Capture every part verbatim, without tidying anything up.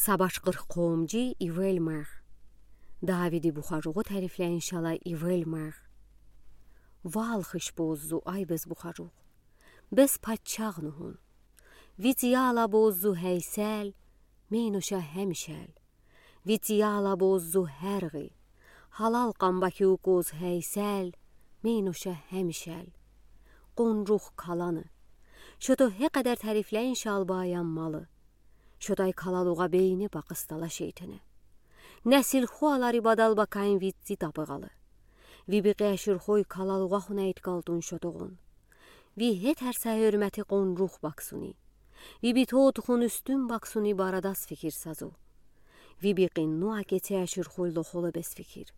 Сабашкъыр къомжи ивел мар. Давиди бухаргъу тарифлейин шала ивел мар. Вал хыш боззу, ай бес бухаргъу. Бес паччагъну гьун. Вит яла боззу гьейсел, мийнуша гьемишел. Вит яла боззу гьерги. Гьалал къамбаки укъуз гьейсел, мийнуша гьемишел. Къунжух каланы. Шото гьекъедер тарифлейин шал баян малы. Шотай калалугъа бейни бакъыстала шейтене. Несил хуалари бадал бакайин витци табыгъалы. Ви бикъи аширхой калалугъа хунайт калтун шотогъун. Ви гьетер са гьёрмети къунжух баксуни. Ви битотхун уьстюн баксуни барадас фикир сазу. Ви бикъи ну акеце аширхой лохоло бес фикир.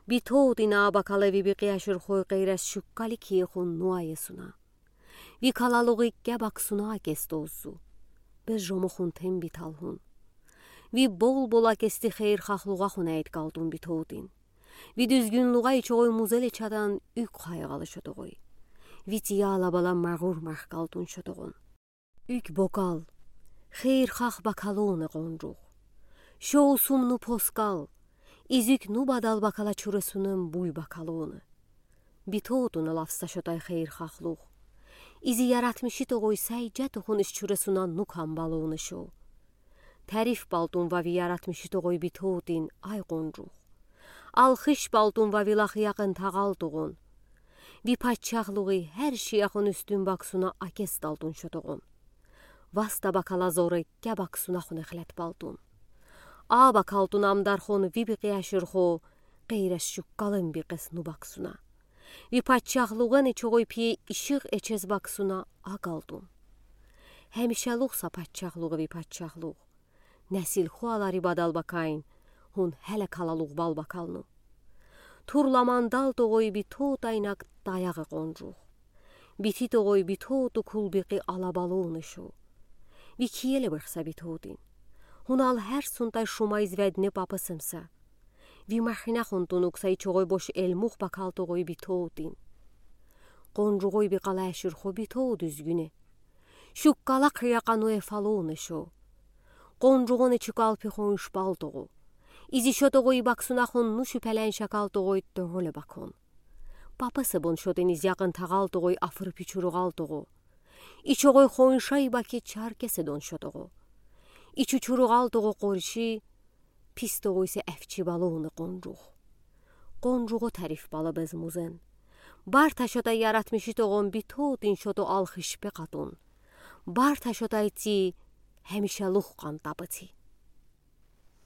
Битотин а бакала ви бикъи аширхой къейрес шуккали киехун ну аесуна. Ви калалугъи ке баксуна акес тоззу. Бес жомохун тем битал гьун. Ви бол-бол акести хейирхахлугъа хунайт калтун битотин. Ви дуьзгюнлугъа ичогъой музеле чадан уьк хайгъалы шотогъой. Вит яла бала магъур мах калтун шотогъун. Уьк бокал, хейирхах бакалуна къунжух. Шоу сумну поскал, изик ну бадал бакала чуресунун буй бакалуна. Битотуна лафса шотай хейирхахлух. Изи яратмиши тогъой сай жа тухун иш чуресуна ну камбалуна шоу. Тариф балтун ва ви яратмиши тогъой битотин, ай къунжух. Алхыш балтун ва ви лахъ якъын тагъалтугъун. Ви паччахлугъи гьер шияхун уьстюн баксуна акес далтун шотогъун. Васта бакала зоре ке баксуна хуне хилет балтун. А бакалтун амдархун ви бикъи аширхо, къейрес шуккалын бикъес ну баксуна. Ви паччахлугъын ичогъой пие ишигъ эчез баксуна а калтун. Гьемишелух са паччахлугъ ви паччахлугъ. Несил хуалари бадал бакайин, гьун гьеле калалугъ бал бакалну. Турла мандал тогъой битотайнак таягъ къунжух. Бити тогъой битоту кулбикъи алабалуна шоу. Ви киеле быхса битотин. Гьунал гьер сунтай шумай зведне папасымса. Ви махинахун тунукса ичогъой бош элмух бакал тогъой битотин. Къунжугъой бикъала аширхо битот дуьзгюне. Шуккала хъия къану эфалуна шоу. Къунжугъун ичи калпи хонш балтугъу. Изи шотогъой баксунахун ну шуьпелен шакалтугъой тёгъоле бакун. Папасы бун шотин из якъын тагъалтугъой афырпи чуругъал тугъу. Ичогъой хоншай баки чаркеси дун шотугъу. Ичи чуругъал тугъу къурши, пис тугъуйсе эфчи балуна къунжух. Къунжугъу тариф бала безмузен. Барта шотай яратмиши тогъун битотин шоту алхышпе къатун. Барта шотай ци гьемишелух къантапы ци.